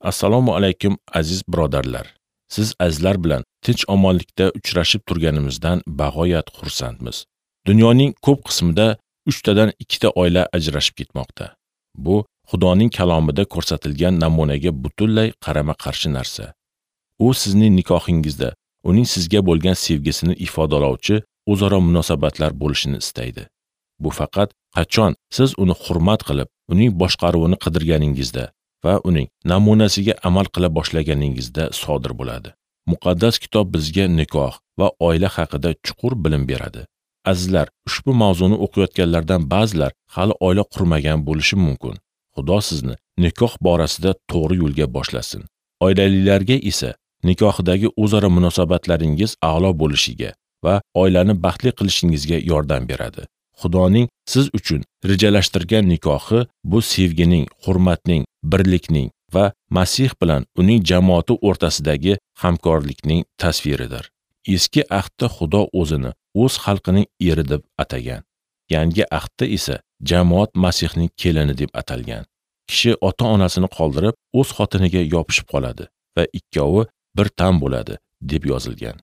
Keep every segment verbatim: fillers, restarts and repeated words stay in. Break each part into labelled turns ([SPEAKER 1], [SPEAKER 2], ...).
[SPEAKER 1] Assalomu alaykum aziz birodarlar. Siz azizlar bilan tinch omonlikda uchrashib turganimizdan bag'oyat xursandmiz. Dunyoning ko'p qismida uchtadan ikkita oila ajrashib ketmoqda. Bu Xudoning kalomida ko'rsatilgan namunaga butunlay qarama-qarshi narsa. U sizning nikohingizda uning sizga bo'lgan sevgisini ifodalovchi o'zaro munosabatlar bo'lishini istaydi. Bu faqat qachon siz uni hurmat qilib, uning boshqaruvini qidirganingizda va uning namunasiga amal qila boshlaganingizda sodir bo'ladi. Muqaddas kitob bizga nikoh va oila haqida chuqur bilim beradi. Azizlar, ushbu mavzuni o'qiyotganlardan ba'zilar hali oila qurmagan bo'lishi mumkin. Xudo sizni nikoh borasida to'g'ri yo'lga boshlasin. Oilalilarga esa nikohdagi o'zaro munosabatlaringiz a'lo bo'lishiga va oilani baxtli qilishingizga yordam beradi. Xudoning siz uchun rejalashtirgan nikohi bu sevgining, hurmatning, birlikning va Masih bilan uning jamoati o'rtasidagi hamkorlikning tasviridir. Eski ahdda Xudo o'zini o'z xalqining eri deb atagan. Yangi ahdda esa jamoat Masihning kelini deb atalgan. Kishi ota-onasini qoldirib, o'z xotiniga yopishib qoladi va ikkovi bir tan bo'ladi deb yozilgan.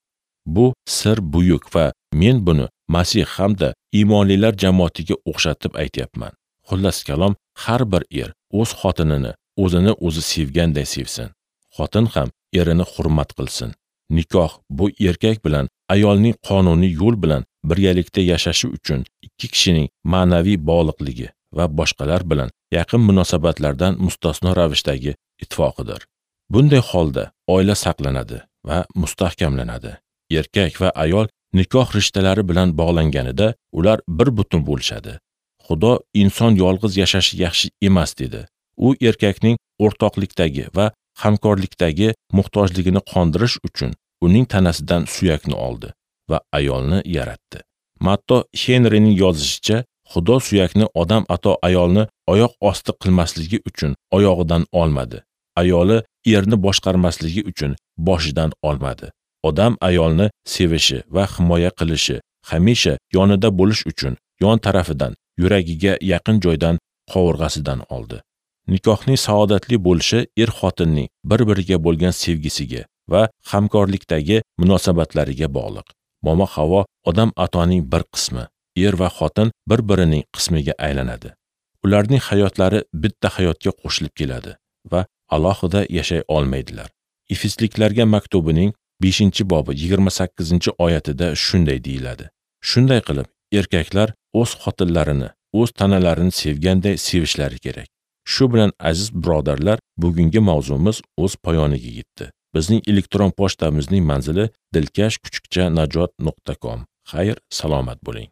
[SPEAKER 1] Bu sir buyuk va men buni Masih hamda iymonlilar jamoatiga o'xshatib aytyapman. Xullas kalom, har bir er o'z xotinini o'zini o'zi sevganday sevsin. Xotin ham erini hurmat qilsin. Nikoh bu erkak bilan ayolning qonuniy yo'l bilan birgalikda yashashi uchun ikki kishining ma'naviy bog'liqligi va boshqalar bilan yaqin munosabatlardan mustasno ravishdagi ittifoqidir. Bunday holda oila saqlanadi va mustahkamlanadi. Erkak va ayol nikoh rishtalari bilan bog'langanida ular bir butun bo'lishadi. Xudo inson yolg'iz yashashi yaxshi emas dedi. U erkakning o'rtoqlikdagi va hamkorlikdagi muhtojligini qondirish uchun uning tanasidan suyakni oldi va ayolni yaratdi. Matto Henrining yozishicha, Xudo suyakni odam ato ayolni oyoq osti qilmasligi uchun oyog'idan olmadi. Ayoli erni boshqarmasligi uchun boshidan olmadi. Odam ayolni sevishi va himoya qilishi, hamisha yonida bo'lish uchun yon tarafidan, yuragiga yaqin joydan, qovurg'asidan oldi. Nikohning saodatli bo'lishi er-xotinning bir-biriga bo'lgan sevgisiga va hamkorlikdagi munosabatlariga bog'liq. Momo Havo odam atoning bir qismi, er va xotin bir-birining qismiga aylanadi. Ularning hayotlari bitta hayotga qo'shilib keladi va alohida yashay olmaydilar. Efesliklarga maktubining beshinchi bobi yigirma sakkizinchi oyatida shunday deyiladi. Shunday qilib, erkaklar o'z xotinlarini, o'z tanalarini sevganday sevishlari kerak. Shu bilan aziz birodarlar, bugungi mavzumiz o'z poyoniga yetdi. Bizning elektron pochtamizning manzili dilkash kuchukcha najot nuqta com. Xayr, salomat bo'ling.